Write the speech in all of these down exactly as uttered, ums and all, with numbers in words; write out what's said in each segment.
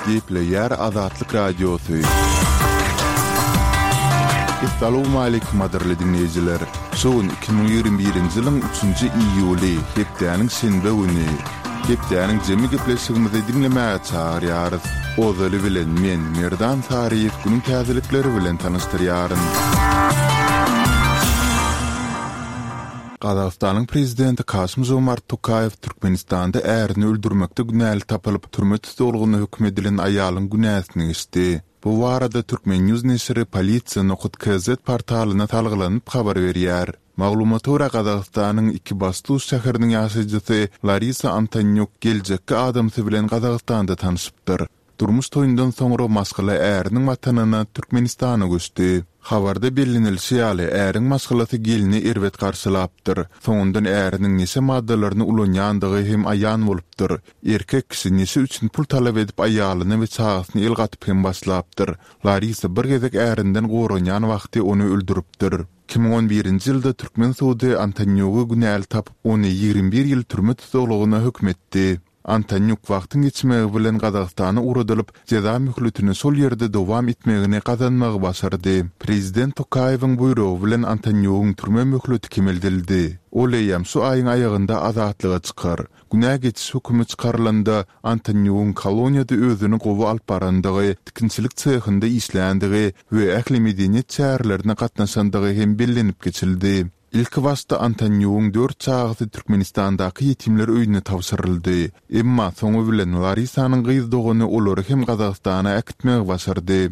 Gepleýär Azatlyk Radiosy. Essalawmaleýkim gadyrly diňleýjiler! Şu gün iki müň ýigrimi birinji ýylyň üçünji iýuly, hepdäniň şenbe güni. Hepdäniň jemi gepleşigimizi diňlemäge çagyrýarys. Ozaly bilen men, Merdan Saryýew günüň täzelikleri bilen tanyşdyrýaryn. Gazagystanyň prezidenti Kasym-Žomart Tokaýew Türkmenistanda ärini öldürmekde günäli tapylyp, türme tussaglygyna höküm edilen aýalyň günäsini geçdi. Bu barada Turkmen. News neşiri Polisiýa nokat kz portalyna salgylanyp habar berýär. Maglumata görä, Gazagystanyň Ikibastuz şäheriniň ýaşaýjysy Larisa Antonýuk geljekki adamsy bilen Gazagystanda tanyşypdyr. Durmuş toýundan soňra maşgala äriniň watanyna, Türkmenistana göçdi. Habarda bellenilişi ýaly, äriň maşgalasy gelni erbet garşylapdyr. Soňundan äriniň neşe maddalaryny ulanýandygy hem aýan bolupdyr. Erkek kişi neşe üçin pul talap edip aýalyna we çagasyna el gatyp hem başlapdyr. Larisa bir gezek ärinden goranýan wagty ony öldüripdir. Iki müň on birinji ýylda türkmen sudy Antonýugy günäli tapyp, ony ýigrimi bir ýyl türme tussaglygyna höküm etdi. Antonýuk wagtyň geçmegi bilen Gazagystana ugradylyp, jeza möhletini şol ýerde dowam etmegini gazanmagy başardy. Prezident Tokaýewiň buýrugy bilen Antonýugyň türme möhleti kemeldildi. Ol eýýäm şu aýyň aýagynda azatlyga çykar. Günä geçiş hökümi çykarylanda, Antonýugyň koloniýada özüni gowy alyp barandygy, tikinçilik sehinde işländigi we ähli medeniýet çärelerine gatnaşandygy hem bellenip geçildi. Ilkibaşda Antonýugyň dört çagasy Türkmenistandaky ýetimler öýüne tabşyryldy. Emma soňy bilen Larisanyň gyz dogany olary hem Gazagystana äkitmegi başardy.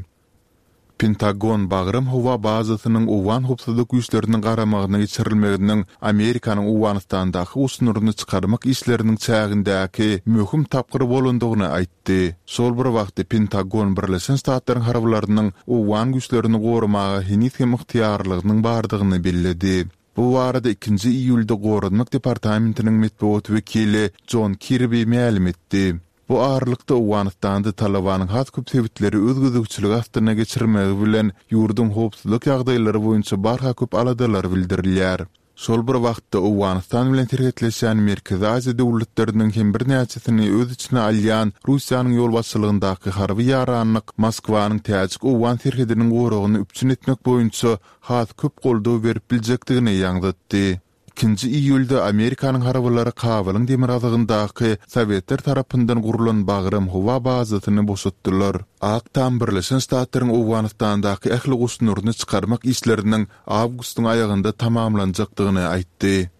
Pentagon Bagram howa bazasynyň owgan howpsuzlyk güýçleriniň garamagyna geçirilmeginiň Amerikanyň Owganystandaky goşunlaryny çykarmak işleriniň çägindäki möhüm tapgyr bolandygyny aýtdy. Şol bir wagtda Pentagon Birleşen Ştatlaryň harbylarynyň owgan güýçlerini goramaga heniz hem ygtyýarlygynyň bardygyny belledi. Bu barada ikinji iýulda Goranmak departamentiniň metbugat wekili Jon Kirbi mälim etdi. Bu aralykda, Owganystanda Talybanyň has köp sebitleri öz gözegçiligi astyna geçirmegi bilen, ýurduň howpsuzlyk ýagdaýlary boýunça barha köp aladalar bildirilýär. Şol bir wagtda, Owganystan bilen serhetleşýän Merkezi Aziýa döwletleriniň hem birnäçesini öz içine alýan Russiýanyň ýolbaşçylygyndaky harby ýaranlyk Moskwanyň täjik-owgan serhediniň goragyny üpjün etmek boýunça has köp goldaw berip biljekdigini ýaňzytdy. Ikinji iýulda Amerikanyň harbylary Kabulyň demirgazygyndaky sowetler tarapyndan gurlan Bagram howa bazasyny boşatdylar. Ak Tam Birleşen Ştatlaryň Owganystandaky ähli goşunlaryny çykarmak işleriniň awgustyň aýagynda tamamlanjakdygyny aýtdy.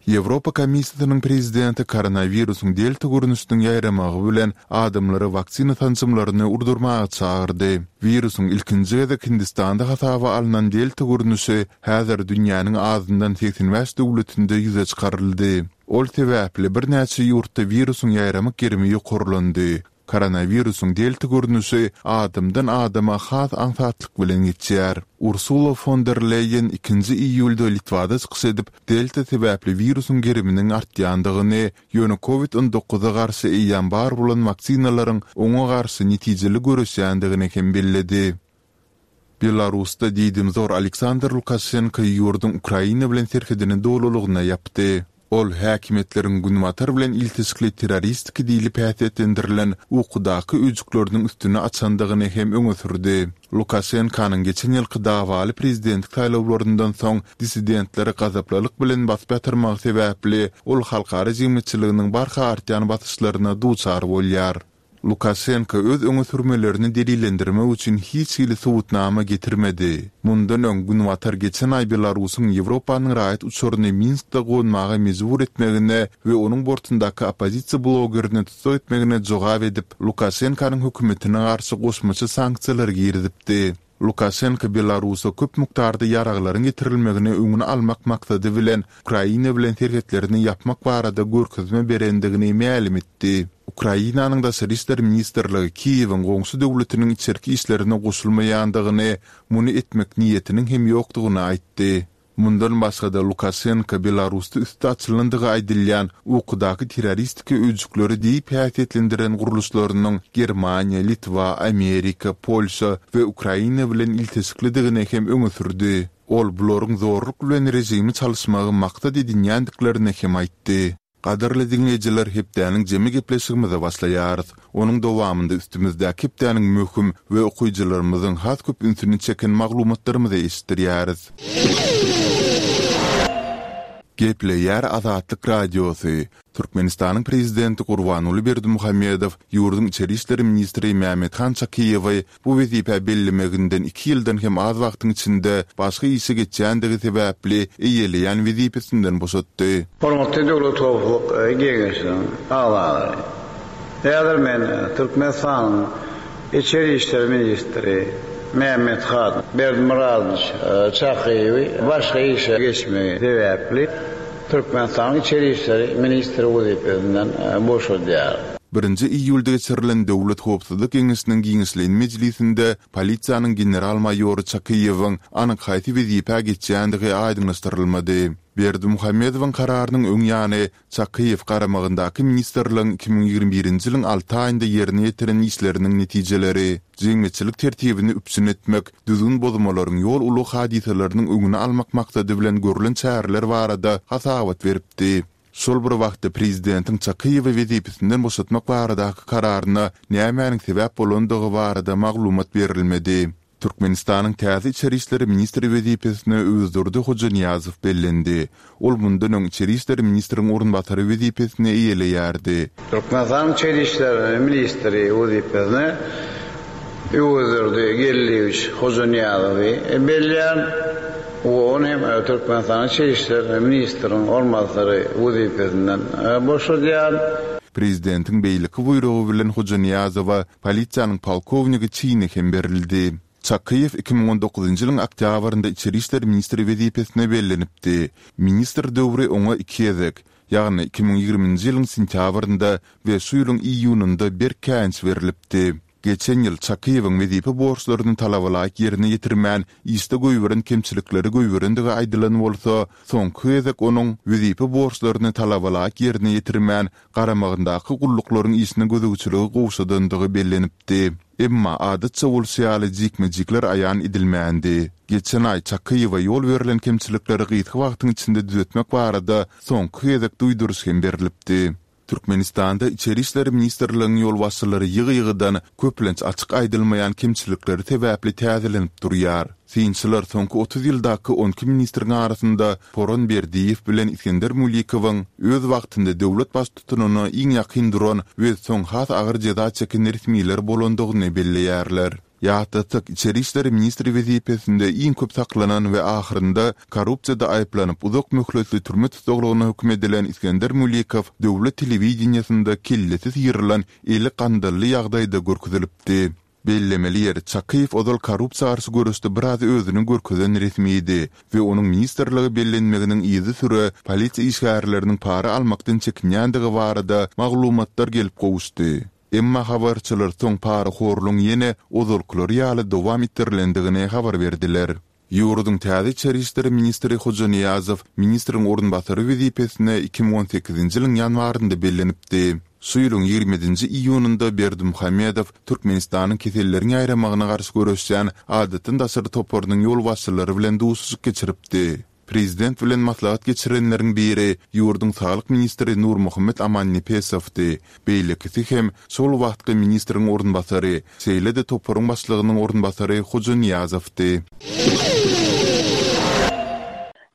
Ýewropa Komissiýasynyň prezidenti koronawirusyň delta görnüşiniň ýaýramagy bilen adamlary waksina sanjymlaryny urdurmaga çagyrdy. Wirusyň ilkinji gezek Hindistanda hasaba alnan delta görnüşi häzir dünýäniň azyndan segsen bäş döwletinde ýüze çykaryldy. Ol sebäpli birnäçe ýurtda wirusyň ýaýramak gerimi ýokarlandy. Koronawirusyň delta görnüşi adamdan adama has aňsatlyk bilen geçýär. Ursula fon der Leýen ikinji iýulda Litwada çykyş edip, delta sebäpli wirusyň geriminiň artýandygyny, ýöne covid on dokuza garşy eýýäm bar bolan waksinalaryň oňa garşy netijeli göreşýändigini hem belledi. Belarusda diýdimzor Aleksandr Lukaşenko ýurduň Ukraina bilen serhedini dolulygyna ýapdy. Ol häkimiýetleriň Günbatar bilen ilteşikli terroristiki diýlip häsiýetlendirilen ukudaky öýjükleriniň üstüni açandygyny hem öňe sürdi. Lukaşenkonyň geçen ýylky dawaly prezidentlik saýlawlaryndan soň dissidentleri gazaplylyk bilen basyp ýatyrmagy sebäpli ol halkara jemgyýetçiliginiň barha artýan basyşlaryna duçar bolýar. Lukaşenko öz öňe sürmelerini delillendirmek üçin hiç hili subutnama getirmedi. Mundan öň, Günbatar geçen aý Belarusyň Ýewropanyň raýat uçaryny Minskde gonmaga mejbur etmegine we onuň bortundaky oppozisiýa blogerini tussag etmegine jogap edip, Lukaşenkonyň hökümetine garşy goşmaça sanksiýalary girizipdi. Lukaşenko Belarusa köp mukdarda ýaraglaryň getirilmegini öňüni almak maksady bilen Ukraina bilen serhetlerini ýapmak barada görkezme berendigini mälim etdi. Ukrainanyň Daşary işler ministrligi Kiýewiň goňşy döwletiniň içerki işlerine goşulmaýandygyny, muny etmek niýetiniň hem ýokdugyny aýtdy. Mundan başga-da, Lukaşenko Belarusda üsti açylandygy aýdylýan ukudaky terroristiki öýjükleri diýip häsiýetlendiren gurluşlarynyň Germaniýa, Litwa, Amerika, Polşa we Ukraina bilen ilteşiklidigini hem öňe sürdi. Ol bularyň zorluk bilen režimi çalyşmagy maksat edinýändiklerini hem aýtdy. Gadyrly diňleýjiler, hepdäniň jemi gepleşigimize başlaýarys. Onuň dowamynda üstümizdäki hepdäniň möhüm we okyjylarymyzyň has köp ünsüni çeken maglumatlarymyzy eşitdirýäris. Gepleýär Azatlyk Radiosy, Türkmenistanyň Prezidenti Gurbanguly Berdimuhamedow ýurduň içeri işler ministri Mämmethan Çakyýewi bu wezipä bellemeginden iki ýyldan hem az wagtyň içinde başga işe geçýändigi sebäpli eýeleýän wezipesinden boşatdy. Hormatly Döwlet howpsuzlyk geňeşiniň agzalary! Häzir men Türkmenistanyň içeri işler ministri Mämmethan Berdimyradowiç Çakyýewi başga işe geçmegi sebäpli Türkmenistanyň içeri işler ministri wezipesinden boşadýaryn. Birinji iýulda geçirilen Döwlet howpsuzlyk geňeşiniň giňişleýin mejlisinde polisiýanyň general-maýory Çakyýewiň anyk haýsy wezipä geçýändigi aýdyňlaşdyrylmady. Berdimuhamedowyň kararynyň öň ýany, Çakyýew garamagyndaky ministrligiň iki müň ýigrimi birinji ýylyň alty aýynda ýerine ýetiren işleriniň netijeleri, jemgyýetçilik tertibini üpjün etmek, düzgün bozmalaryň ýol-ulag hadysalarynyň öňüni almak maksady bilen görlen çäreler barada hasabat beripdi. Şol bir wagtda prezidentiň Çakyýewi wezipesinden boşatmak baradaky kararyna nämäniň sebäp bolandygy barada maglumat berilmedi. Türkmenistanyň täze içeri işler ministri wezipesine Öwezdurdy Hojanyýazow bellendi. Ol mundan öň içeri işler ministriň orunbasary wezipesini eýeleýärdi. Türkmenistanyň içeri işler ministri wezipesine Öwezdurdy Geldiýewiç Hojanyýazowy belleýän we ony hem Türkmenistanyň içeri işler ministriniň orunbasary wezipesinden boşadýan. Prezidentiň beýleki buýrugy bilen Hojanyýazowa polisiýanyň polkownigi çini hem berildi. Çakyýew iki müň on dokuzynjy ýylyň oktýabrynda içeri işler ministri wezipesine bellenipdi. Ministr döwri oňa iki gezek, ýagny iki müň ýigriminji ýylyň sentýabrynda we şu ýylyň iýunynda berk käýinç berlipdi. Geçen ýyl Çakyýewiň wezipe borçlaryny talabalaýyk ýerine ýetirmän, işde goýberen kemçilikleri goýberendigi aýdylan bolsa, soňky gezek onuň wezipe borçlaryny talabalaýyk ýerine ýetirmän, garamagyndaky gulluklaryň işine gözegçiligi gowşadandygy bellenipdi. Emma adatça bolşy ýaly jikme-jikler aýan edilmändi. Geçen aý Çakyýewe ýol berlen kemçilikleri gysga wagtyň içinde düzetmek barada soňky gezek duýduryş hem berlipdi. Türkmenistanda Içeri işler ministrligiň ýolbaşçylary ýygy-ýygydan, köplenç açyk aýdylmaýan kemçilikleri sebäpli täzelenip durýar. Synçylar soňky otuz ýyldaky on iki ministriň arasynda Poran Berdiýew bilen Isgender Mulikowyň öz wagtynda döwlet baştutanyna iň ýakyn duran we soň has agyr jeza çeken resmiler bolandygyny belleýärler. Ýatlatsak, içeri işler ministri wezipesinde iň köp saklanan we ahyrynda korrupsiýada aýyplanyp uzak möhletli türme tussaglygyna höküm edilen Isgender Mulikow döwlet telewideniýesinde kellesi syrylan, eli gandally ýagdaýda görkezilipdi. Bellemeli ýeri, Çakyýew ozal korrupsiýa garşy göreşde biraz özüni görkezen resmidi we onuň ministrlige bellenmeginiň yzysüre polisiýa işgärleriniň para almakdan çekinýändigi barada maglumatlar gelip gowuşdy. Emma habarçylar soň parahorlugyň ýene ozalkylary ýaly dowam etdirilendigini habar berdiler. Ýurduň täze içeri işler ministri Hojanyýazow ministriň orunbasary wezipesine iki müň on sekizinji ýylyň ýanwarynda bellenipdi. Şu ýylyň ýigrimi ýedinji iýunynda Berdimuhamedow Türkmenistanyň keselleriň ýaýramagyna garşy göreşýän adatdan daşary toparynyň ýolbaşçylary bilen duşuşyk geçiripdi. Prezident bilen maslahat geçirenleriň biri ýurduň saglyk ministri Nurmuhammet Amannepesowdy, beýlekisi hem şol wagtky ministriň orunbasary, şeýle-de toparyň başlygynyň orunbasary Hojanyýazowdy.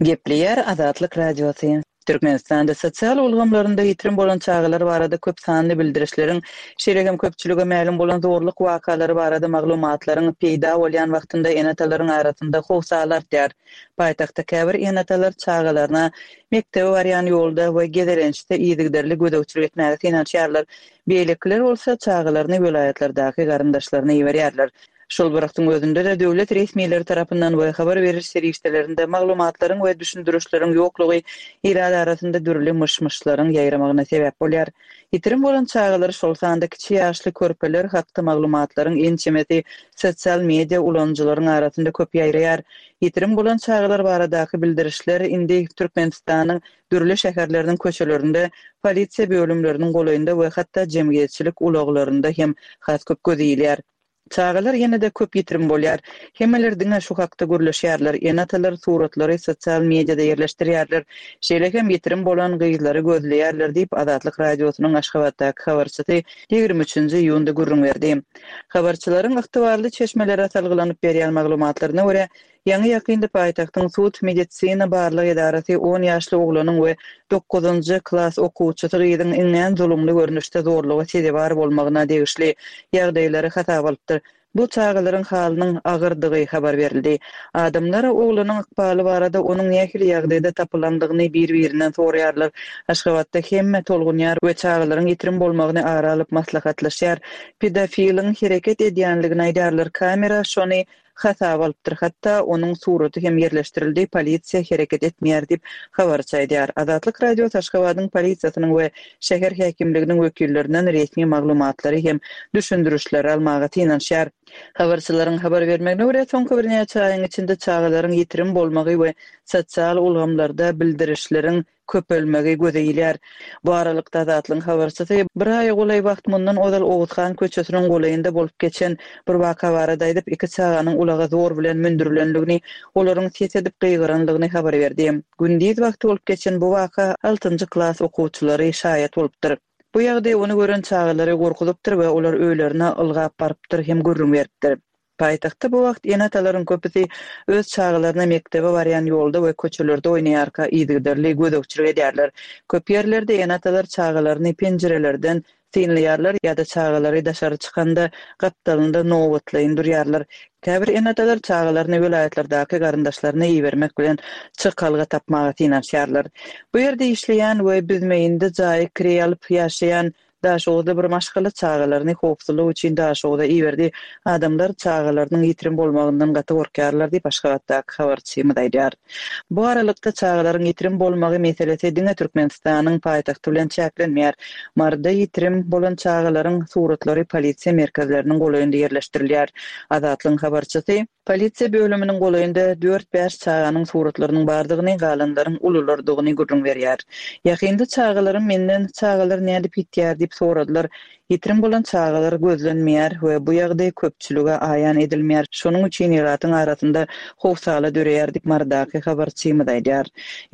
Gepleýär Azatlyk Radiosy. Türkmenistanda sosial ulgamlarynda ýitirim bolan çagalar barada köp sanly bildirişleriň, şeýle hem köpçülige mälim bolan zorluk wakalary barada maglumatlaryň peýda bolýan wagtynda ene-atalaryň arasynda howsala artýar. Paýtagtda käbir ene-atalar çagalaryna mekdebe barýan ýolda we gezelençde yzygiderli gözegçilik etmäge synanyşýarlar. Beýlekiler bolsa çagalaryny welaýatlardaky garyndaşlaryna iberýärler. Şol bir wagtyň özünde-de döwlet resmileri tarapyndan we habar beriş serişdelerinde maglumatlaryň we düşündirişleriň ýoklugy ilat arasynda dürli myş-myşlaryň ýaýramagyna sebäp bolýar. Ýitirim bolan çagalar, şol sanda kiçi ýaşly körpeler hakda maglumatlaryň ençemesi sosial media ulanyjylaryň arasynda köp ýaýraýar. Ýitirim bolan çagalar baradaky bildirişler indi Türkmenistanyň dürli şäherleriniň köçelerinde, polisiýa bölümleriniň golaýynda we hatda jemgyýetçilik ulaglarynda hem has köp göz ilýär. Çagalar ýene-de köp ýitirim bolýar. Hemmeler diňe şu hakda gürleşýärler, ene-atalar suratlary sosial mediada ýerleşdirýärler. Şeýle hem ýitirim bolan gyzlary gözleýärler diýip, Azatlyk Radiosynyň Aşgabatdaky habarçysy ýigrimi üçünji iýunda gürrüň berdi. Habarçylaryň ygtybarly çeşmelere salgylanyp berýän maglumatlaryna görä, ýaňy-ýakynda paýtagtyň sud-medisina barlag edarasy on ýaşly oglanyň we dokuzynjy klas okuwçysy gyzyň iňňän zulumly görnüşde zorluga sezewar bolmagyna degişli ýagdaýlary hasaba alypdyr. Bu çagalaryň halynyň agyrdygy habar berildi. Adamlar oglanyň ykbaly barada onuň nähili ýagdaýda tapylandygyny bir-birinden soraýarlar. Aşgabatda hemme tolgunýar we çagalaryň ýitirim bolmagyny ara alyp maslahatlaşýar. Pedofiliň hereket edýänligini aýdýarlar. Kamera şony hasaba alypdyr. Hatda onuň suraty hem ýerleşdirildi. Polisiýa hereket etmeýär diýip, habarçy aýdýar. Azatlyk Radiosy Aşgabadyň polisiýasynyň we şäher häkimliginiň wekillerinden resmi maglumatlary hem düşündirişleri almaga synanyşýar. Habarçylaryň habar bermegine görä, soňky birnäçe aýyň içinde çagalaryň ýitirim bolmagy we sosial ulgamlarda bildirişleriň köpelmegi göze ilýär. Bu aralykda Azatlygyň habarçysy bir aýa golaý wagt mundan ozal Oguzhan köçesiniň golaýynda bolup geçen bir waka barada aýdyp, iki çaganyň ulaga zor bilen mündürilendigini, olaryň ses edip gygyrandygyny habar berdi. Gündiz wagty bolup geçen bu waka altynjy klas okuwçylary şaýat bolupdyr. Bu ýagdaý ony gören çagalary gorkuzypdyr we olar öýlerine ylgap barypdyr hem gürrüň beripdir. Paýtagtda bu wagt ene-atalaryň köpüsi öz çagalaryna mekdebe barýan ýolda we köçelerde oýnaýarka yzygiderli gözegçilik edýärler. Köp ýerlerde ene-atalar çagalaryny penjirelerden synlaýarlar ýa-da çagalary daşary çykanda gapdalynda nobatlaýyn durýarlar. Käbir ene-atalar çagalaryny welaýatlardaky garyndaşlaryna ibermek bilen çykalga tapmaga synanyşýarlar. Bu ýerde işleýän we Büzmeýinde jaýy kireý alyp ýaşaýan Daşoguzda bir maşgala çagalaryny howpsuzlyk üçin Daşoguza iberdi. Adamlar çagalarynyň ýitirim bolmagyndan gaty gorkýarlar diýip, Aşgabatdaky habarçymyz aýdýar. Bu aralykda çagalaryň ýitirim bolmagy meselesi diňe Türkmenistanyň paýtagty bilen çäklenmeýär. Maryda ýitirim bolan çagalaryň suratlary polisiýa merkezleriniň golaýynda ýerleşdirilýär. Azatlygyň habarçysy polisiýa bölüminiň golaýynda dört-bäş çaganyň suratlarynyň bardygyny, galanlaryň ululardygyny gürrüň berýär. Ýakynda çagalarym menden çagalar nädip ýitýär diýip soradylar. Ýitirim bolan çagalar gözlenmeýär we bu ýagdaý köpçülige aýan edilmeýär. Şonuň üçin ilatyň arasynda howsala döreýär diýip Marydaky habarçymyz aýdýar.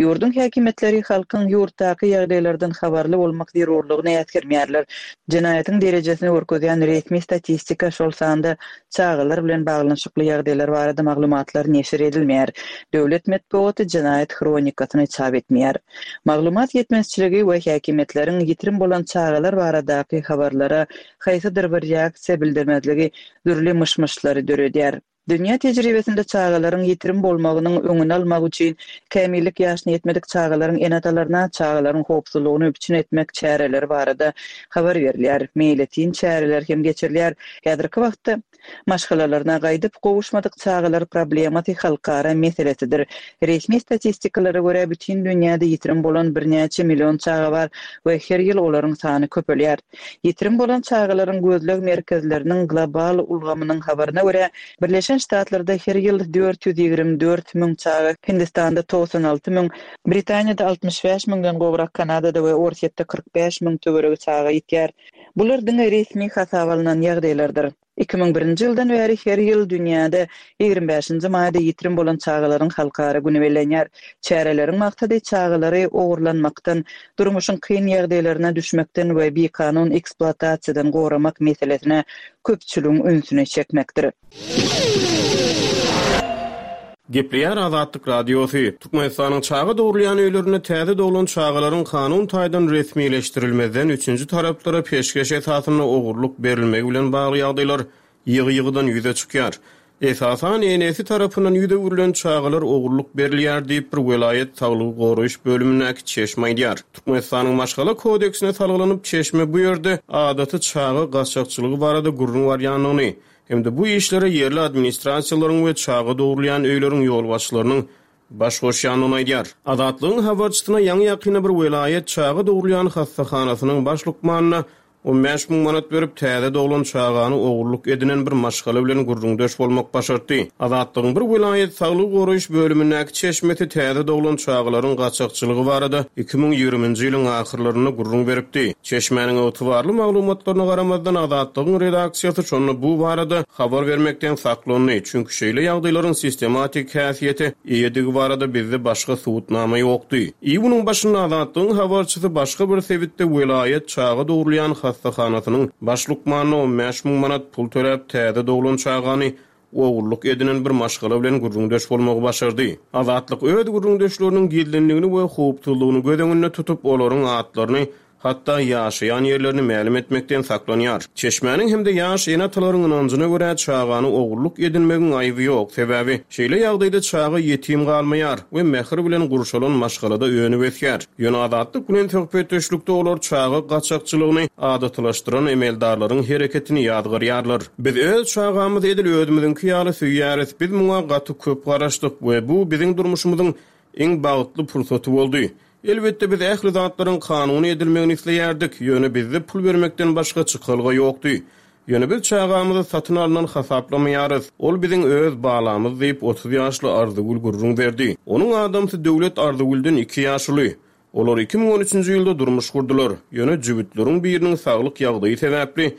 Ýurduň häkimiýetleri halkyň ýurtdaky ýagdaýlardan habarly bolmak zerurlygyny äsgermeýärler. Jenaýatyň derejesini görkezýän resmi statistika, şol sanda çagalar bilen baglanyşykly ýagdaýlar barada maglumatlar neşir edilmeýär. Döwlet metbugaty jenaýat hronikasyny çap etmeýär. Maglumat ýetmezçiligi we häkimiýetleriň ýitirim bolan çagalar baradaky habarlara haýsydyr bir reaksiýa bildirmezligi dürli myş-myşlary döredýär. Dünýä tejribesinde çagalaryň ýitirim bolmagynyň öňüni almak üçin kämillik ýaşyna ýetmedik çagalaryň ene-atalaryna çagalaryň howpsuzlygyny üpjün etmek çäreleri barada habar berilýär. Meýletin çäreler hem geçirilýär. Häzirki wagtda maşgalalaryna gaýdyp gowuşmadyk çagalar problemasy halkara meselesidir. Resmi statistikalara görä bütin dünýäde ýitirim bolan birnäçe million çaga bar we her ýyl olaryň sany köpelýär. Ýitirim bolan çagalaryň gözleg merkezleriniň global ulgamynyň habaryna görä Birleşen Ştatlarda her ýyl dört ýüz ýigrimi dört müň çaga, Hindistanda togsan alty müň, Britaniýada altmyş bäş müňden gowrak, Kanadada we Orsýetde kyrk bäş müň töweregi çaga ýitýär. Bular diňe resmi hasaba alnan ýagdaýlardyr. Iki müň birinji ýyldan bäri her ýyl dünýäde ýigrimi bäşinji maýda ýitirim bolan çagalaryň halkara güni bellenýär. Çäreleriň maksady çagalary ogurlanmakdan, durmuşyň kyn ýagdaýlaryna düşmekden we bikanun ekspluatasiýadan goramak meselesine köpçüligiň ünsüni çekmekdir. Gepleýär Azatlyk Radiosy. Türkmenistanyň çaga dogrulýan öýlerinde täze doglan çagalaryň kanun taýdan resmileşdirilmezden üçünji taraplara peşgeş esasynda ogurlyk berilmegi bilen bagly ýagdaýlar ýygy-ýygydan ýüze çykýar. Esasan enesi tarapyndan ýüz öwrülen çagalar ogurlyk berilýär diýip bir welaýat saglygy goraýyş bölümindäki çeşme aýdýar. Türkmenistanyň maşgala kodeksine salgylanyp çeşme bu ýerde adaty çaga gaçakçylygy barada gürrüň barýandygyny hem-de bu işlere ýerli administrasiýalaryň we çaga dogrulýan öýleriň ýolbaşçylarynyň baş goşýandygyny aýdýar. Azatlygyň habarçysyna ýaňy-ýakynda bir welaýat çaga dogrulýan hassahanasynyň baş lukmanyna On bäş müň manat berip, täze doglan çagany ogurlyk edinen bir maşgala bilen gürrüňdeş bolmak başartdy. Azatlygyň bir welaýat saglygy goraýyş bölümindäki çeşmesi täze doglan çagalaryň gaçakçylygy barada iki müň ýigriminji ýylyň ahyrlarynda gürrüň beripdi. Çeşmäniň ygtybarly maglumatlaryna garamazdan Azatlygyň redaksiýasy şonda bu barada habar bermekden saklandy, çünki şeýle ýagdaýlaryň sistematik häsiýete eýedigi barada bizde başga subutnama ýokdy. Iýunyň başynda Azatlygyň habarçysy başga bir sebitde welaýat çaga dogrulýan hassahanasynyň baş lukmanyna on bäş müň manat pul töläp täze doglan çagany ogurlyk edinen bir maşgala bilen gürrüňdeş bolmagy başardy. Azatlyk öz gürrüňdeşleriniň gizlinligini we howpsuzlygyny göz öňünde tutup, olaryň atlaryny, hatda ýaşaýan ýerlerini mälim etmekden saklanýar. Çeşmäniň hem-de ýaş ene-atalaryň ynanjyna görä çagany ogurlyk edinmegiň aýby ýok, sebäbi şeýle ýagdaýda çaga ýetim galmaýar we mähir bilen gurşalan maşgalada önüp ösýär. Ýöne Azatlyk bilen söhbetdeşlikde olar çaga gaçakçylygyny adatylaşdyran emeldarlaryň hereketini ýazgarýarlar. Biz öz çagamyzy edil özümiziňki ýaly söýýäris, biz muňa gaty köp garaşdyk we bu biziň durmuşymyzyň iň bagtly pursaty boldy. Elbetde biz ähli zatlaryň kanuny edilmegini isleýärdik, ýöne bizde pul bermekden başga çykalga ýokdy. Ýöne biz çagamyzy satyn alynan hasaplamaýarys. Ol biziň öz balamyz diýip otuz ýaşly Arzygül gürrüň berdi. Onuň adamsy Döwlet Arzygülden iki ýaşuly. Olar iki müň on üçünji ýylda durmuş gurdular. Ýöne jübütleriň biriniň saglyk ýagdaýy sebäpli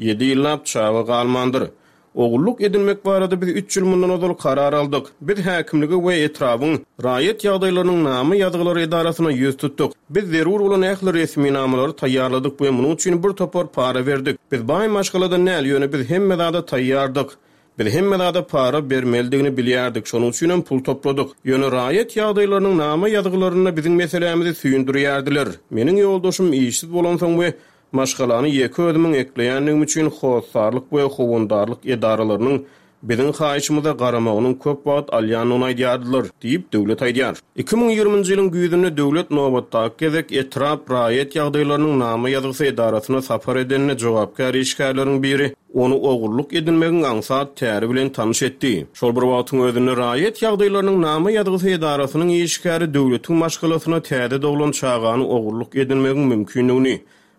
ýedi ýyllap çaga galmandyr. Ogullyk edinmek barada biz üç ýyl mundan ozal karar aldyk. Biz häkimlige we etrabyň raýat ýagdaýlarynyň nama ýazgylary edarasyna ýüz tutduk. Biz zerur bolan ähli resminamalary taýýarladyk we munuň üçin bir topar para berdik. Biz baý maşgaladan däl, ýöne biz hemme zada taýýardyk. Biz hemme zada para bermelidigini bilýärdik, şonuň üçin hem pul topladyk. Ýöne raýat ýagdaýlarynyň nama ýazgylarynda biziň meselämizi süýndürýärdiler. Meniň ýoldaşym işsiz bolansoň we maşgalany ýeke özümiň ekleýändigim üçin hossarlyk we howandarlyk edaralarynyň biziň haýyşymyza garamagynyň köp wagt alýandygyny aýdýardylar, diýip Döwlet aýdýar. Iki müň ýigriminji ýylyň güýzünde Döwlet nobatdaky gezek etrap raýat ýagdaýlarynyň nama ýazgysy edarasyna sapar edenine jogapkär işgärleriň biri ony ogurlyk edinmegiň aňsat täri bilen tanyş etdi. Şol bir wagtyň özünde raýat ýagdaýlarynyň nama ýazgysy edarasynyň işgäri Döwletiň maşgalasyna täze doglan çagany ogurlyk edinmegiň mümkinligini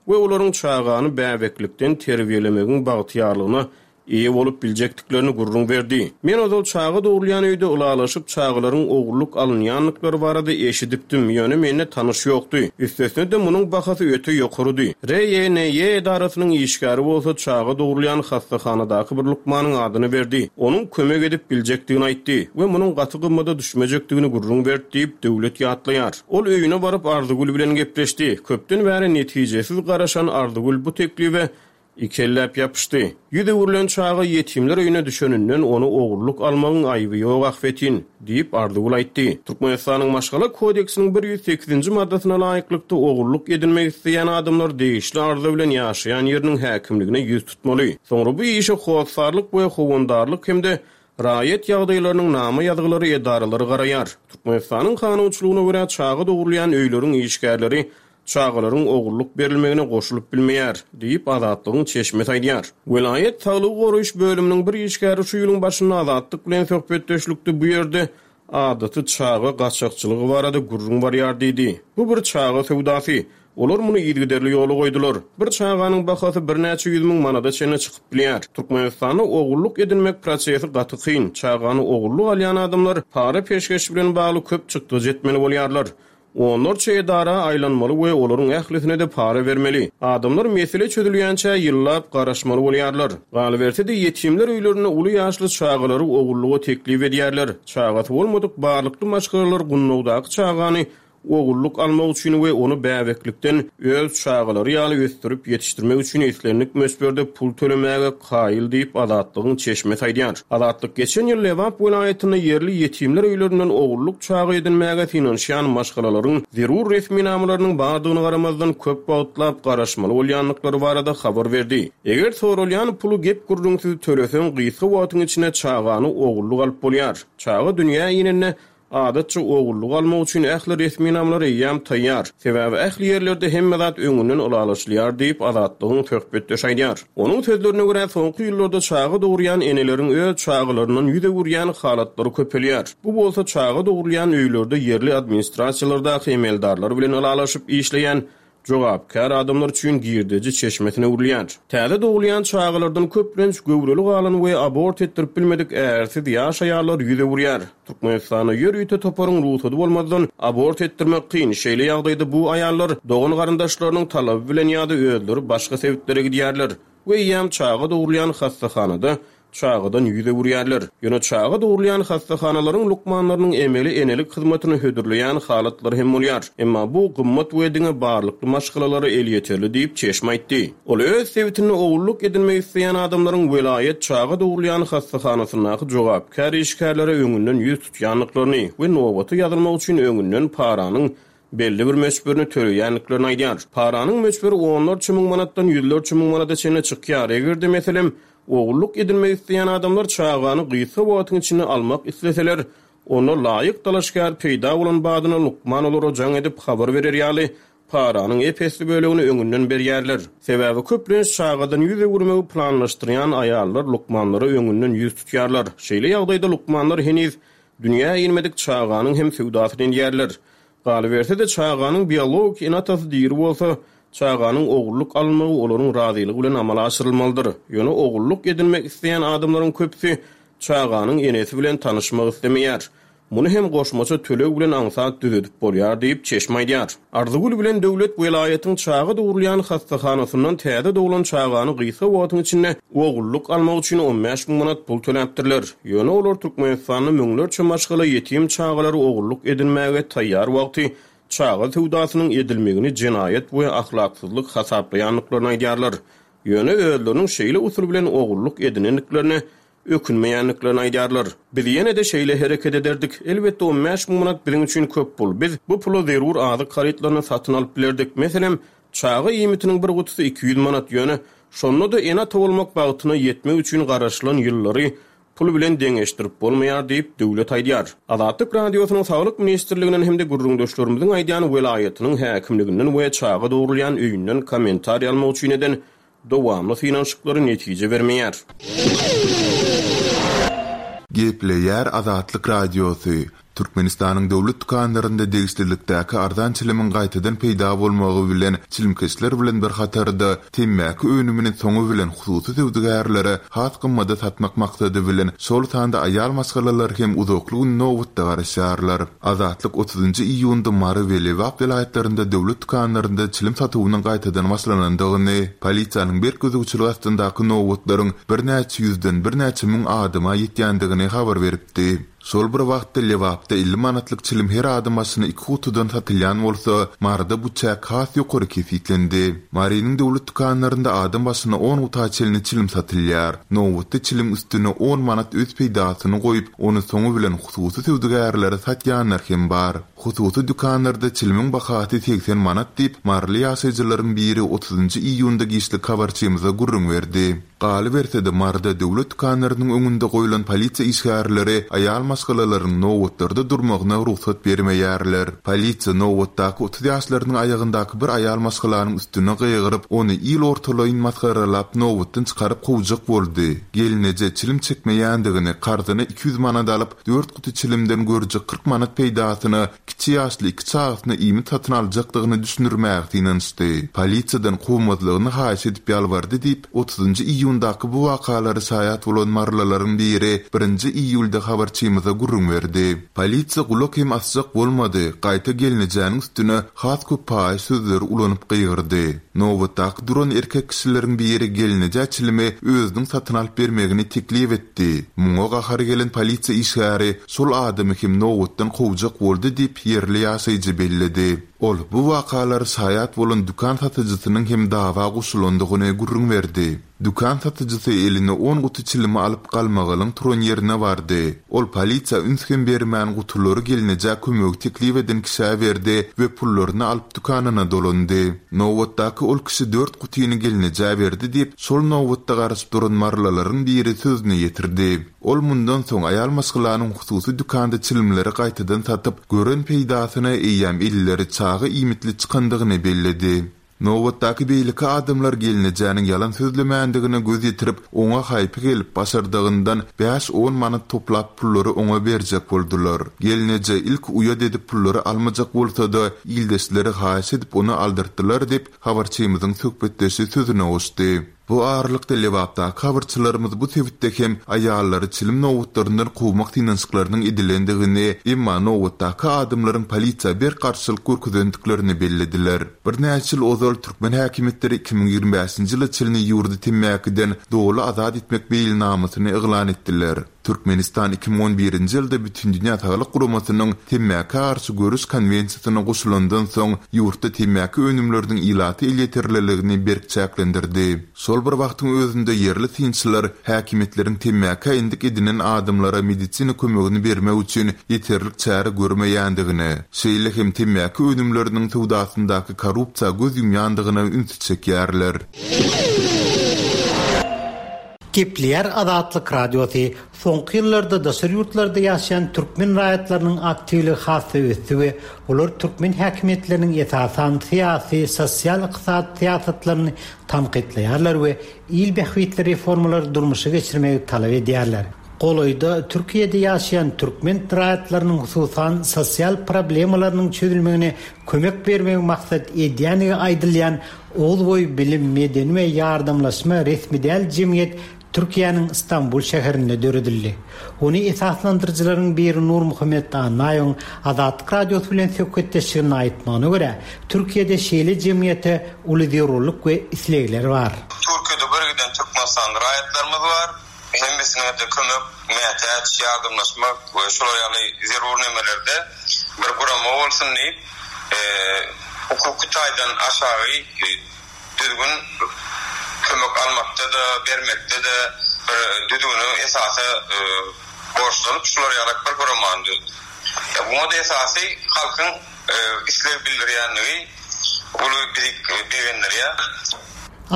we olaryň çagany bäbeklikden terbiýelemegiň bagtyýarlygyna eýe bolup biljekdiklerini gürrüň berdi. Men ozal çaga dogrulýan öýde ylalaşyp çagalaryň ogurlyk alynýandyklary barada eşidipdim, ýöne mende tanyş ýokdy. Üstesine de munuň bahasy öte ýokarydy. R Y N Y edarasynyň işgäri bolsa çaga dogrulýan hassahanadaky bir lukmanyň adyny berdi. Onuň kömek edip biljekdigini aýtdy we munuň gaty gymmada düşmejekdigini gürrüň berdi diýip Döwlet ýatlaýar. Ol öýüne baryp Arzygül bilen gepleşdi. Köpden bäri netijesiz garaşan Arzygül bu teklibe ikelläp ýapyşdy. Ýüz öwrülen çaga ýetimler öýüne düşeninden ony ogurlyk almagyň aýby ýok ahbetin, diýip Arzygül aýtdy. Türkmenistanyň Maşgala kodeksiniň bir ýüz sekizinji maddasyna laýyklykda ogurlyk edinmek isleýän adamlar degişli arza bilen ýaşaýan ýeriniň häkimligine ýüz tutmaly. Soňra bu işe hossarlyk we howandarlyk hem-de raýat ýagdaýlarynyň nama ýazgylary edaralary garaýar. Türkmenistanyň kanunçylygyna görä çaga dogrulýan öýleriň işgärleri çagalaryň ogurlyk berilmegine goşulyp bilmeýär, diýip Azatlygyň çeşmesi aýdýar. Welaýat saglygy goraýyş bölüminiň bir işgäri şu ýylyň başynda Azatlyk bilen söhbetdeşlikde bu ýerde adaty çaga gaçakçylygy barada gürrüň barýar diýdi. Bu bir çaga söwdasy. Olar muny yzygiderli ýola goýdular. Bir çaganyň bahasy birnäçe ýüz müň manada çenli çykyp bilýär. Türkmenistanda ogurlyk edinmek prosesi gaty kyn. Çagany ogurlyk alýan adamlar para peşgeş bilen bagly köp çykdajy etmeli bolýarlar. Onlarça edara aýlanmaly we olaryň ählisine de para bermeli. Adamlar mesele çözülýänçä ýyllap garaşmaly bolýarlar. Galyberse-de ýetimler öýlerinde uly ýaşly çagalary ogurlyga teklip edýärler. Çagasy bolmadyk barlykly maşgalalar gundagdaky çagany ogurlyk almak üçin we ony bäbeklikden öz çagalary ýaly ösdürip ýetişdirmek üçin islendik möçberde pul tölemäge kaýyl diýip Azatlygyň çeşmesi aýdýar. Azatlyk geçen ýyl Lebap welaýatynda ýerli ýetimler öýlerinden ogurlyk çaga edinmäge synanyşýan maşgalalaryň zerur resminamalarynyň bardygyny garamazdan köp wagtlap garaşmaly bolýandyklary barada habar berdi. Eger soralýan puly gep gürrüňsiz töleseň gysga wagtyň içinde çagany ogurlyk alyp bolýar. Çaga dünýä inende adatça ogurlyk almak üçin ähli resminamalar eýýäm taýýar. Sebäbi ähli ýerlerde hemme zat öňünden ylalaşylýar diýip Azatlygyň söhbetdeşi aýdýar. Onuň sözlerine görä soňky ýyllarda çaga dogurýan eneleriň öz çagalaryndan ýüz öwürýän halatlary köpelýär. Bu bolsa çaga dogrulýan öýlerde ýerli administrasiýalardaky emeldarlar bilen ylalaşyp işleýän jogapkär adamlar üçin girdeji çeşmesine öwrülýär. Täze dogulýan çagalardan köplenç göwreli galan we abort etdirip bilmedik ärsiz ýaş aýallar ýüz öwürýär. Türkmenistanda ýörite toparyň rugsady bolmazdan abort etdirmek kyn. Şeýle ýagdaýda bu aýallar dogan garyndaşlarynyň talaby bilen ýa-da özleri başga sebitlere gidýärler we eýýäm çaga dogurýan hastahanada çagadan ýüz öwürýärler. Ýöne çaga dogurýan hastahanalaryň lukmanlarynyň emeli enelik hyzmatyny hödürleýän halatlary hem bolýar. Emma bu gymmat we diňe barlykly maşgalalara elýeterli diýip çeşme aýtdy. Ol öz sebitinde ogullyk edinmek isleýän adamlaryň welaýat çaga dogurýan hastahanasyndaky jogapkär işgärlere öňünden ýüz tutýandyklaryny we nobata ýazylmak üçin öňünden paranyň belli bir möçberini töleýändiklerini aýdýar. Paranyň möçberi onlarça müň manatdan ýüzlerçe müň manata çenli çykýar. Eger-de meselem ogullyk edinmek isleýän adamlar çagany gysga wagtyň içinde almak isleseler, onda laýyk dalaşgär peýda bolan badyna lukman olara jaň edip habar berer ýaly paranyň ep-esli bölegini öňünden berýärler. Sebäbi köplenç çagadan ýüz öwürmegi planlaşdyrýan aýallar lukmanlara öňünden ýüz tutýarlar. Şeýle ýagdaýda lukmanlar heniz dünýä inmedik çaganyň hem söwdasyny edýärler. Galyberse-de çaganyň biologik ene-atasy diri bolsa, çaganyň ogullyk alynmagy olaryň razylygy bilen amala aşyrylmalydyr. Ýöne ogullyk edinmek isleýän adamlaryň köpüsi çaganyň enesi bilen tanyşmak islemeýär. Muny hem goşmaça töleg bilen aňsat düzedip bolýar diýip çeşme aýdýar. Arzygül bilen Döwlet welaýatyň çaga dogurýan hastahanasyndan täze doglan çagany gysga wagtyň içinde ogullyk almak üçin on bäş müň manat pul töläpdirler. Ýöne olar Türkmenistanda müňlerçe maşgala ýetim çagalary ogullyk edinmäge taýýar wagty çaga söwdasynyň edilmegini jenaýat we ahlaksyzlyk hasaplaýandyklaryny aýdýarlar. Ýöne özleriniň şeýle usul bilen ogullyk edinendiklerine ökünmeýändiklerini aýdýarlar. Biz ýene-de şeýle hereket ederdik. Elbetde on bäş müň manat biziň üçin köp pul. Biz bu pula zerur azyk harytlaryny satyn alyp bilerdik. Meselem, çaga iýmitiniň bir gutusy iki ýüz manat. Ýöne şonda-da ene-ata bolmak bagtyna ýetmek üçin garaşylan ýyllary pul bilen deňeşdirip bolmaýar diýip Döwlet aýdýar. Azatlyk Radiosynyň Saglyk Ministrliginden hem-de gürrüňdeşlerimiziň aýdýan welaýatynyň häkimliginden we çaga dogurýan öýünden kommentariý almak üçin eden dowamly synanyşyklary netije bermeýär. Gepleýär Azatlyk Radiosy. Türkmenistanyň döwlet dükanlarynda degişlilikdäki arzan çilimiň gaýtadan peýda bolmagy bilen çilimkeşler bilen bir hatarda temmäki önümini soňy bilen hususy söwdagärlere has gymmada satmak maksady bilen şol sanda aýal maşgalalar hem uzakly gün nobatda garaşýarlar. Azatlyk otuzynjy iýunda Mary we Lebap welaýatlarynda döwlet dükanlarynda çilim satuwynyň gaýtadan başlanandygyny, polisiýanyň berk gözegçiligi astyndaky nobatlaryň birnäçe ýüzden birnäçe müň adama ýetýändigini habar beripdi. Şol bir wagtda Lebapda elli manatlyk çilim her adam başyna iki gutudan satylýan bolsa, Maryda bu çäk has ýokary kesgitlendi. Marynyň döwlet dükanlarynda adam başyna on guta çenli çilim satylýar. Nobatda çilim üstüne on manat öz peýdasyny goýup, ony soňy bilen hususy söwdagärlere satýanlar hem bar. Hususy dükanlarda çilimiň bahasy seksen manat diýip, Maryly ýaşaýjylaryň biri otuzynjy iýunda giçlik habarçymyza gürrüň berdi. Galyberse-de Maryda döwlet dükanlarynyň öňünde goýlan polisiýa işgärleri aýal maşgalalaryň nobatlarda durmagyna rugsat bermeýärler. Polisiýa nobatdaky otuz ýaşlarynyň aýagyndaky bir aýal maşgalanyň üstüne gygyryp, ony il ortalaýyn masgaralap nobatdan çykaryp kowjak boldy. Gelneje çilim çekmeýändigini karzyna iki ýüz manat alyp, dört guty çilimden görjek kyrk manat peýdasyna kiçi ýaşly iki çagasyna iýmit satyn aljakdygyny düşündirmäge synanyşdy. Polisiýadan kowmazlygyny haýyş edip ýalbardy diýip, otuzynjy iýundaky bu wakalary şaýat bolan marylylaryň biri birinji iýulda habarçymyza gürrüň berdi. Polisiýa gulak hem asjak bolmady, gaýta gelnejäniň üstüne has köp paýyş sözleri ulanyp gygyrdy. Nobatdaky duran erkek kişileriň biri gelnejä çilimi özüniň satyn alyp bermegini teklip etdi. Muňa gahary gelen polisiýa işgäri şol adamy hem nobatdan kowjak boldy diýip ýerli ýaşaýjy belledi. Ol bu wakalary şaýat bolan dükan satyjysynyň hem dawa goşulandygyny gürrüň berdi. Dükan satyjysy eline on guty çilimi alyp galmagalyň turan ýerine bardy. Ol polisiýa üns hem bermän gutulary gelnejä kömegi teklip eden kişä berdi we pullaryny alyp dükanyna dolandy. Nobatdaky ol kişi dört gutyny gelnejä berdi diýip, şol nobatda garaşyp duran marylylaryň biri sözüni ýetirdi. Ol mundan soň aýal maşgalanyň hususy dükanda çilimleri gaýtadan satyp, gören peýdasyna eýýäm elleri çaga iýmitli çykandygyny belledi. Nobatdaky beýleki adamlar gelnejäniň ýalan sözlemändigine göz ýetirip, oňa haýpy gelip, başardygyndan bäş-on manat toplap pullary oňa berjek boldular. Gelneje ilk uýat edip pullary almajak bolsa-da, ildeşleri haýyş edip ony aldyrtdylar diýip, habarçymyzyň söhbetdeşi sözüne goşdy. Bu aralykda Lebapdaky habarçylarymyz bu sebitde hem aýallary çilim nobatlaryndan kowmak synanyşyklarynyň edilendigini, emma nobatdaky adamlaryň polisiýa berk garşylyk görkezendiklerini bellediler. Birnäçe ýyl ozal türkmen häkimiýetleri iki müň ýigrimi bäşinji ýyla çenli ýurdy temmäkiden doly azat etmek meýilnamasyny yglan etdiler. Türkmenistan iki müň on birinji ýylda Bütindünýä Saglyk Guramasynyň temmäkä garşy göreş konwensiýasyna goşulandan soň ýurtda temmäki önümleriniň ilata elýeterliligini berk çäklendirdi. Şol bir wagtyň özünde ýerli synçylar häkimiýetleriň temmäkä endik edinen adamlara medisina kömegini bermek üçin ýeterlik çäre görmeýändigine, şeýle hem temmäki önümleriniň söwdasyndaky korrupsiýa göz ýumýandygyna ünsi çekýärler. Gepleýär Azatlyk Radiosy. Soňky ýyllarda daşary ýurtlarda ýaşaýan türkmen raýatlarynyň aktiwligi has-da ösdi we olar türkmen häkimiýetleriniň esasan syýasy, sosial, ykdysady syýasatlaryny tankytlaýarlar we il bähbitli reformalary durmuşa geçirmegi talap edýärler. Golaýda Türkiýede ýaşaýan türkmen raýatlarynyň hususan sosial problemalarynyň çözülmegine kömek bermegi maksat edýändigi aýdylýan Oguzboý bilim, medeni we ýardamlaşma resmi däl jemgyýet Türkiýäniň Istanbul şäherinde döredildi. Ony esaslandyryjylaryň biri Nurmuhammet Annaýewiň Azatlyk Radiosy bilen söhbetdeşliginde aýtmagyna görä, Türkiýede şeýle jemgyýete uly zerurlyk we islegler bar. Türkiýede bir giden Türkmenistan raýatlarymyz bar. Hemmesine de kömek, mätäç, ýardamlaşmak we şolar ýaly zerur nemelerde bir gurama bolsun diýip, e, hukuky taýdan aşagy düzgün kömek almakda da, bermekde de bir düzgüni esasy, e, borçlanyp şular ýaly bir guramany düzdük. Ya buna da esasy halkyň, e, isleg bildirýänligi uly bizi begendirýär.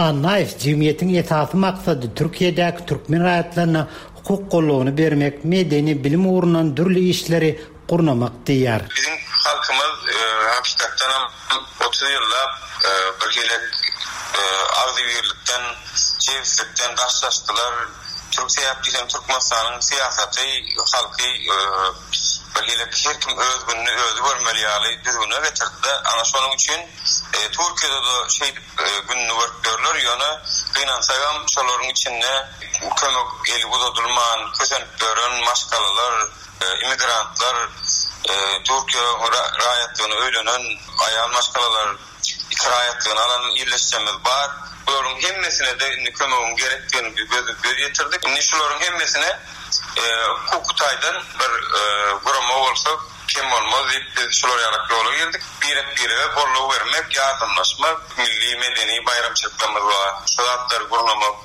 Annaýew jemgyýetiň esasy maksady Türkiýedäki türkmen raýatlaryna hukuk goldawyny bermek, medeni bilim ugrundan dürli işleri gurnamak diýýär. Biziň halkymyz, e, hakykatdan hem otuz ýyllap, e, bir hili, e, agzybirlikden, jebislikden daşlaşdylar. Türk sebäp diýsem Türkmenistanyň syýasaty halky, e, bir hili her kim öz gününi özi görmeli ýaly düzgüne getirdi. Ana şonuň üçin, e, Türkiýede de şeýdip, e, gününi görüp görler, ýöne gynansagam şolaryň içinde kömek eli uzadylman, kösenip gören maşgalalar, e, immigrantlar, e, Türkiýe ra-, raýatlygyny öýlenen aýal maşgalalar, iki raýatlygyny alan ýerleşjemiz bar. Bularyň hemmesine de indi kömegiň gerekdigini biz göz, göz ýetirdik. Indi şularyň hemmesine, e, hukuk taýdan bir, e, gurama bolsa kem bolmaz diýip biz şular ýaly ýola girdik. Birek-birege goldaw bermek, ýardamlaşmak, milli medeni baýramçylyklarymyz bar. Şu zatlary gurnamak.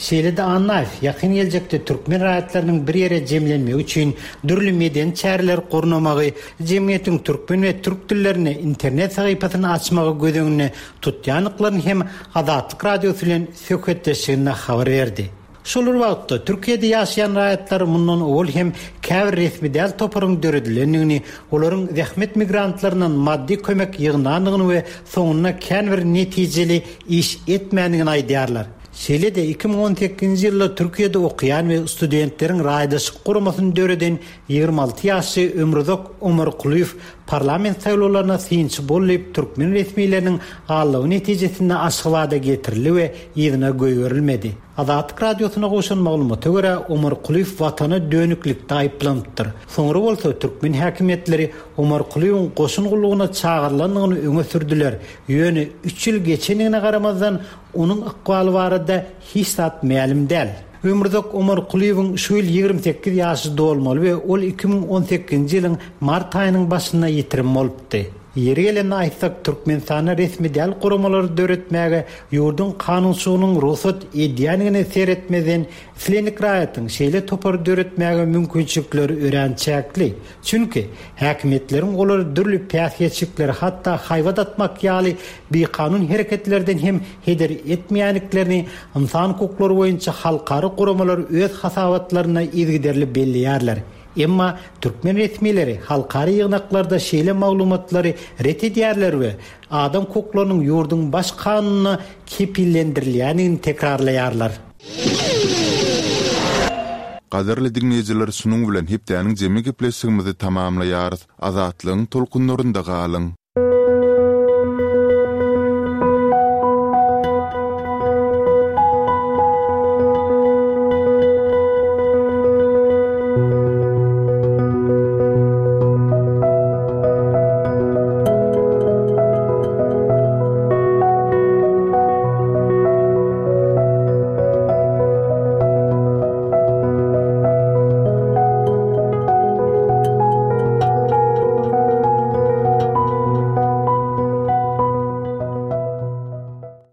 Şeýle-de Annaýew ýakyn geljekde türkmen raýatlarynyň bir ýere jemlenmegi üçin dürli medeni çäreler gurnamagy, jemgyýetiň türkmen we türk dillerinde internet sahypasyny açmagy göz öňünde tutýandyklaryny hem Azatlyk Radiosy bilen söhbetdeşliginde habar berdi. Şol bir wagtda Türkiýede ýaşaýan raýatlar mundan owal hem käbir resmi däl toparyň döredilendigini, olaryň zähmet migrantlaryndan maddy kömek ýygnandygyny we soňunda kän bir netijeli iş etmändigini aýdýarlar. Şeýle-de iki müň on sekizinji ýylda Türkiýede okaýan we studentleriň raýdaşlyk guramasyny döreden ýigrimi alty ýaşly Ömruzak Omarkulyýew parlament saýlawlaryna synçy bolup türkmen resmileriniň aldawy netijesinde Aşgabada getirildi we yzyna goýberilmedi. Azatlyk Radiosyna gowşan maglumata görä Omarkulyýew watana dönüklikde aýyplanypdyr. Soňra bolsa türkmen häkimiýetleri Omarkulyýewiň goşun gullugyna çagyrylandygyny öňe sürdüler. Ýöne üç ýyl geçendigine garamazdan onuň ykbaly barada hiç zat mälim däl. Ömruzak Omarkulyýewiň şu ýyl ýigrimi sekiz ýaşy dolmaly we ol iki müň on sekizinji ýylyň mart aýynyň başynda ýitirim bolupdy. Ýeri gelende aýtsak, Türkmenistanda resmi däl guramalary döretmäge ýurduň kanunçylygynyň rugsat edýändigine seretmezden islendik raýatyň şeýle topary döretmäge mümkinçilikleri örän çäkli. Çünki häkimiýetleriň olary dürli päsgelçilikleri, hatda haýbat atmak ýaly bikanun hereketlerden hem heder etmeýändiklerini insan hukuklary boýunça halkara guramalar öz hasabatlarynda yzygiderli belleýärler. Emma türkmen resmileri halkara ýygnaklarda şeýle maglumatlary ret edýärler we adam hukuklarynyň ýurduň baş kanunynda kepillendirilýändigini tekrarlaýarlar. Gadyrly diňleýjiler şunuň bilen hepdäniň jemi gepleşigimizi tamamlaýarys. Azatlygyň tolkunlarynda galyň.